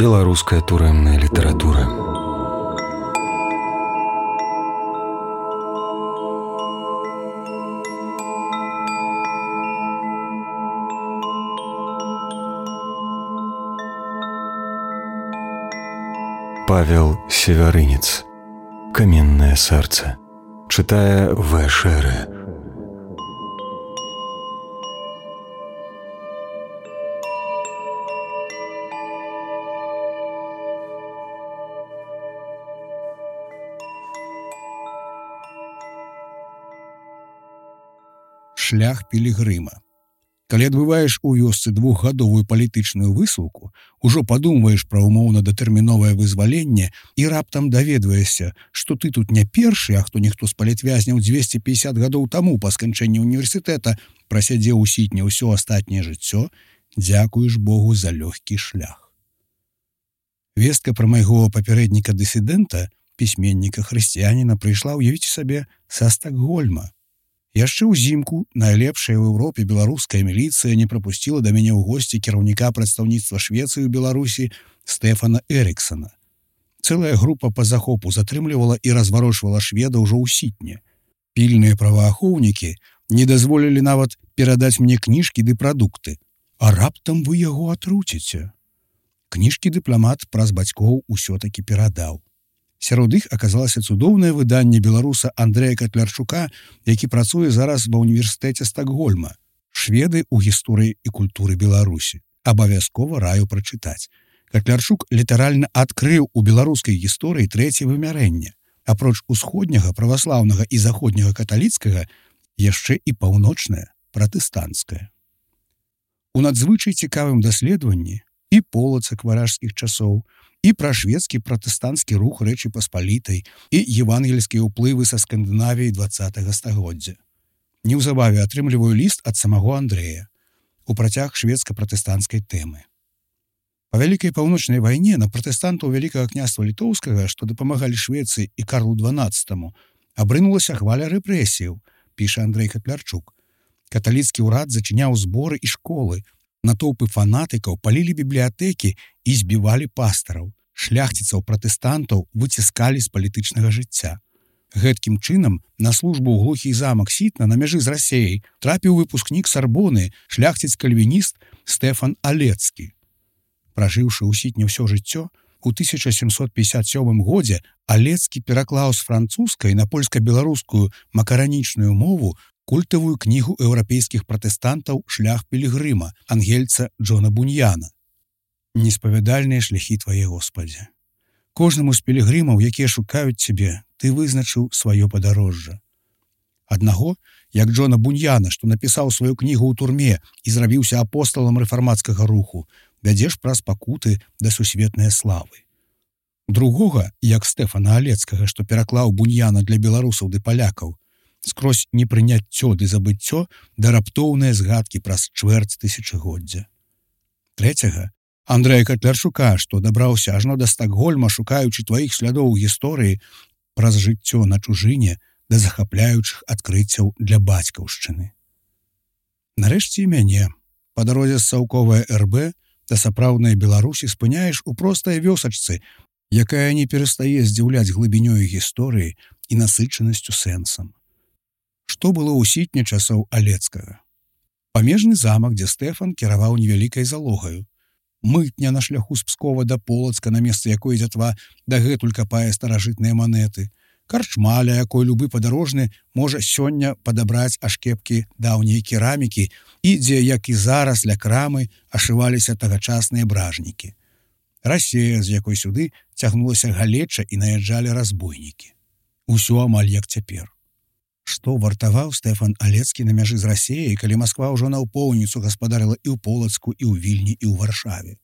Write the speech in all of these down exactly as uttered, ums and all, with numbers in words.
Беларуская турэмная літаратура. Павел Севярынец. Каменное сердце. Читая В. Шеры. Шлях пілігрыма. Калі адбываеш у вёсцы двухгадовую палітычную высылку, ужо падумваеш пра умоўна-датэрміновае вызваленне і раптам даведваешся, што ты тут не першы, а хто ніхто з палітвязняў дзвесце пятьдесят гадоў таму па сканчэнні універсітэта прасядзеў у сітне ўсё астатняе жыццё, дзякуеш Богу за лёгкі шлях. Вестка пра майго папярэдніка-дысідэнта, пісьменніка-хрысціяніна, прыйшла, уявіце сабе, са Стакгольма. Яшчэ ўзімку найлепшая ў Еўропе беларуская міліцыя не прапусціла да мяне ў госці кіраўніка прадстаўніцтва Швецыі ў Беларусі Стэфана Эріксана. Цэлая група па захопу затрымлівала і разварочвала шведа ўжо ў сітне. Пільныя праваахоўнікі не дазволілі нават перадаць мне кніжкі ды прадукты. А раптам вы яго атруціце. Кніжкі дыпламат праз бацькоў усё-такі перадаў. Сярод іх аказалася цудоўнае выданне беларуса Андрэя Катлярчука, які працуе зараз ва ўніверсітэце Стакгольма. Шведы ў гісторыі і культуры Беларусі. Абавязкова раю прачытаць. Катлярчук літаральна адкрыў у беларускай гісторыі трэцяе вымярэнне. Апроч усходняга, праваслаўнага і заходняга каталіцкага, яшчэ і паўночнае, пратэстанцкае. У надзвычай цікавым даследаванні і полацак варажскіх часоў, і пра шведскі пратэстанцкі рух Рэчы Паспалітай і евангельскія ўплывы са Скандынавіі дваццатага стагоддзя. Неўзабаве атрымліваю ліст ад самого Андрэя у працяг шведска-пратэстанцкай тэмы. Па Вялікай паўночнай вайне на пратэстантаў Вялікага княства Літоўскага, што дапамагалі Швецыі і Карлу дванаццатаму, абрынулася хваля рэпрэсіяў, піша Андрэй Катлярчук. Каталіцкі ўрад зачыняў зборы і школы, натоўпы фанатыкаў палілі бібліятэкі і збівалі пастараў. Шляхціцаў пратэстантаў выціскалі з палітычнага жыцця. Гэткім чынам на службу ў глухі замак Сітна на мяжы з Расеяй трапіў выпускнік Сарбоны, шляхціц-кальвініст Стэфан Алецкі. Пражыўшы ў Сітне ўсё жыццё, у тысяча сямсот пятьдесят сёмым годзе Алецкі пераклаў з французскай на польска-беларускую макаранічную мову культавую кнігу еўрапейскіх пратэстантаў «Шлях пілігрыма» ангельца Джона Буньяна. Неспавядальныя шляхі твае, Господзе. Кожнаму з пілігрымаў, якія шукаюць цябе, ты вызначыў сваё падарожжа. Аднаго, як Джона Буньяна, што напісаў сваю кнігу ў турме і зрабіўся апосталам рэфармацкага руху, вядзеш праз пакуты да сусветнай славы. Другога, як Стэфана Алецкага, што пераклаў Буньяна для беларусаў ды палякаў, скрозь непрыняццё ды забыццё да раптоўныя згадкі праз чвэрць тысячагоддзя. Трэцяга, Андрэя Катлярчука, што дабраўся ажно да Стакгольма, шукаючы тваіх слядоў у гісторыі праз жыццё на чужыне да захапляючых адкрыццяў для бацькаўшчыны. Нарэшце і мяне, па дарозе з Саўковае эр бэ да сапраўднай Беларусі спыняеш у простай вёсачцы, якая не перастае здзіўляць глыбінёю гісторыі і насычанасцю сэнсам. Што было ў Сітне часоў Алецкага? Памежны замак, дзе Стэфан кіраваў невялікай залогаю. Мытня на шляху з Пскова да Полацка, на месцы якой дзятва дагэтуль капае старажытныя манеты. Карчма, ля якой любы падарожны можа сёння падабраць ашкепкі даўняй керамікі і дзе, як і зараз, ля крамы ашываліся тагачасныя бражнікі. Расея, з якой сюды цягнулася галеча і наязджалі разбойнікі. Усё амаль як цяпер. Што вартаваў Стэфан Алецкі на мяжы з Расеяй, калі Масква ўжо наўпоўніцу гаспадарыла і ў Полацку, і ў Вільні, і ў Варшаве?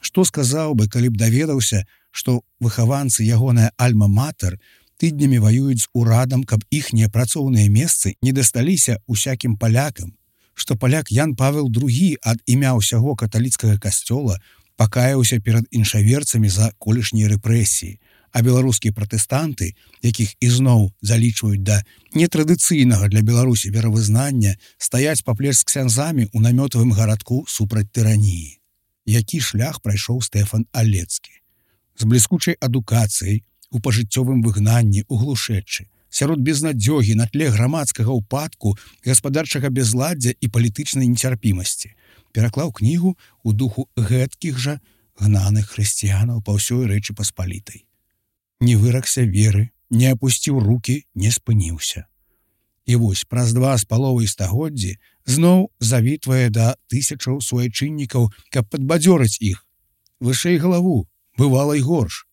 Што сказаў бы, калі б даведаўся, што выхаванцы ягоная альма-матэр тыднямі ваююць з урадам, каб іхнія працоўныя месцы не дасталіся усякім палякам, што паляк Ян Павел другі ад імя ўсяго каталіцкага касцёла пакаяўся перад іншаверцамі за колішнія рэпрэсіі, а беларускія пратэстанты, якіх ізноў залічваюць да нетрадыцыйнага для Беларусі веравызнання, стаяць паплеч з ксяндзамі ў намётавым гарадку супраць тыраніі. які шлях прайшоў Стэфан Алецкі. З бліскучай адукацыяй, у пажыццёвым выгнанні, у глушэчы, сярод безнадзёгі на тле грамадскага ўпадку, гаспадарчага бязладдзя і палітычнай нецярпімасці, пераклаў кнігу ў духу гэткіх жа гнаных хрысціянаў па ўсёй Рэчы Паспалітай. Не выракся веры, не апусціў рукі, не спыніўся. І вось праз два з паловай стагоддзі зноў завітвае да тысячаў суайчыннікаў, каб падбадзёрыць іх. Вышэй галаву, бывала і горш.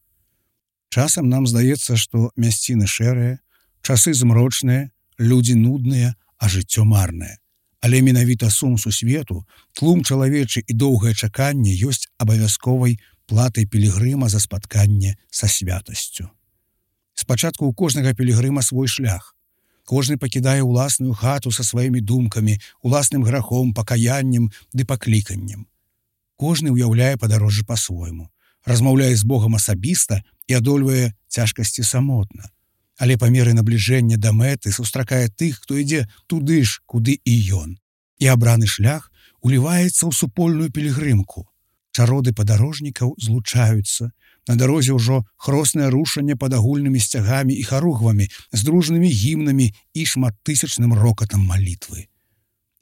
Часам нам здаецца, што мясціны шэрыя, часы змрочныя, людзі нудныя, а жыццё марнае. Але менавіта сум сусвету, тлум чалавечы і доўгае чаканне ёсць абавязковай платай пілігрыма за спатканне са святасцю. Спачатку ў кожнага пілігрыма свой шлях. Кожны пакідае ўласную хату са сваімі думкамі, уласным грахом, пакаяннем ды пакліканнем. Кожны ўяўляе падарожжа па-свойму, размаўляе з Богам асабіста і адольвае цяжкасці самотна. Але па меры набліжэння да мэты сустракае тых, хто ідзе туды ж, куды і ён. І абраны шлях уліваецца ў супольную пілігрымку. Чароды падарожнікаў злучаюцца. На дарозе ўжо хроснае рушанне пад агульнымі сцягамі і харугвамі, з дружнымі гімнамі і шматтысячным рокатам малітвы.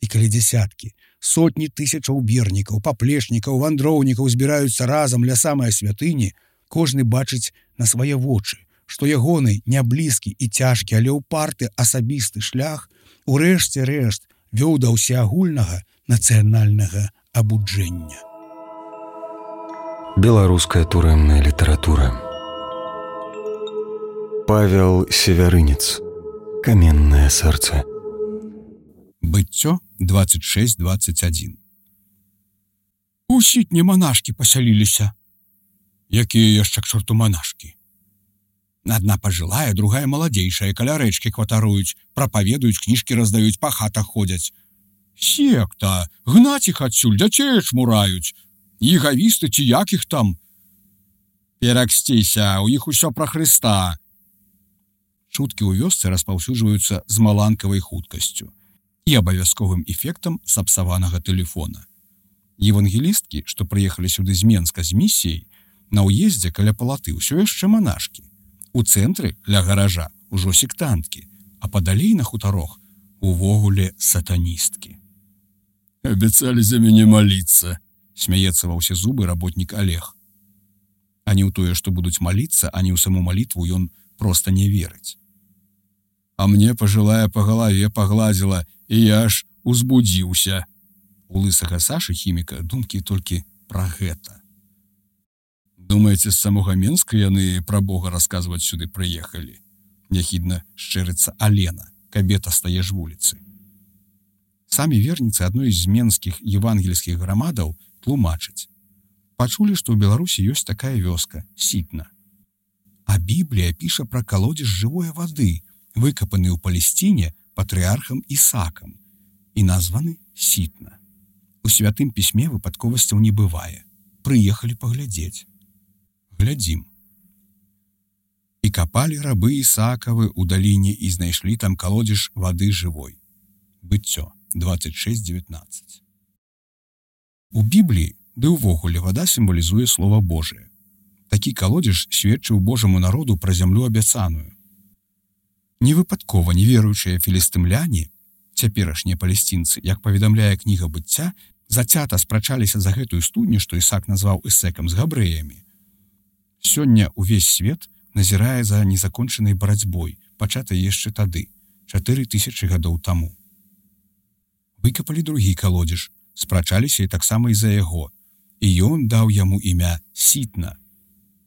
І калі дзясяткі, сотні тысячаў вернікаў, паплечнікаў, вандроўнікаў збіраюцца разам ля самай святыні, кожны бачыць на свае вочы, што ягоны няблізкі і цяжкі, але ўпарты асабісты шлях урэшце рэшт вёў да ўсеагульнага нацыянальнага абуджэння. Беларуская турэмная літаратура. Павел Севярынец. Каменнае сэрца. Быццё двадцать шесть двадцать один. У сітні манашкі пасяліліся. Якія яшчэ к чорту манашкі? Адна пажылая, другая маладзейшая, каля рэчкі кватаруюць, прапаведуюць, кніжкі раздаюць, па хатах ходзяць. Секта, гнаць іх адсюль, дзяцей чмураюць. Егавісты ці якіх там? Пераксціся, у іх усё пра Хрыста. Чуткі ў вёсцы распаўсюджваюцца з маланкавай хуткасцю і абавязковым эфектам сапсаванага тэлефона. Евангелісткі, што прыехалі сюды з Менска з місіяй, на ўездзе каля палаты ўсё яшчэ манашкі. У цэнтры, ля гаража, ужо сектанткі, а падалей на хутарох увогуле сатаністкі. Абяцалі за мяне маліцца, смяецца ва ўсе зубы работнік Олег. А не ў тое, што будуць маліцца, а не ў саму малітву ён проста не верыць. А мне пажылая па галаве пагладзіла, і я ж узбудзіўся. У лысага Сашы хіміка думкі толькі пра гэта. Думаеце, з самога Менска яны пра Бога расказваць сюды прыехалі? Няхідна шчырыцца Алена, кабета стае ж вуліцы. Самі верніцы адной з менскіх евангельскіх грамадаў тлумачаць. Пачулі, што ў Беларусі ёсць такая вёска, Сітна. А Біблія піша пра калодзеж жывой вады, выкапаны ў Палесціне патрыархам Ісакам і названы Сітна. У святым пісьме выпадковасцяў не бывае. Прыехалі паглядзець. Глядзім. І капалі рабы Ісакавы ў даліне і знайшлі там калодзеж вады жывой. Быццё двадцать шесть девятнадцать. У Бібліі, ды ўвогуле, вада сімвалізуе Слова Божие. Такі калодзеж сведчыў Божаму народу пра зямлю абяцаную. Невыпадкова неверуючыя філістымляне, цяперашнія палесцінцы, як паведамляе кніга быцця, зацята спрачаліся за гэтую студню, што Ісак назваў Эсекам з габрэямі. Сёння ўвесь свет назірае за незакончанай барацьбой, пачатай яшчэ тады, чатыры тысячы гадоў таму. Выкапалі другі калодзеж, спрачаліся і таксама і за яго, і ён даў яму імя Сітна.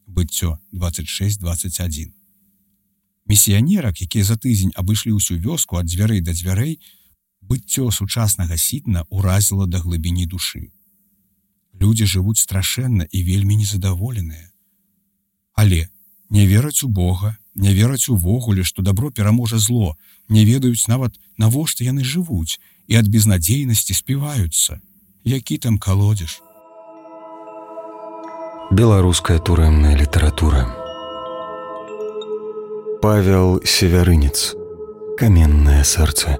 Быццё двадцать шесть двадцать один. Місіянерак, якія за тыдзень абышлі ўсю вёску ад дзвярэй да дзвярэй, быццё сучаснага Сітна ўразіла да глыбіні душы. Людзі жывуць страшэнна і вельмі незадаволеныя. Але не вераць у Бога, не вераць увогуле, што дабро пераможа зло, не ведаюць нават, навошта яны жывуць, і ад безнадзейнасці співаюцца. Які там калодзеж? Беларуская турэмная літаратура. Павел Севярынец. Каменнае сэрца.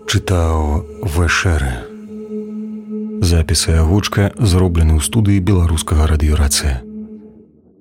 Чытаў Вэшэры. Запіс і агучка зроблены ў студыі беларускага радыёрацыя.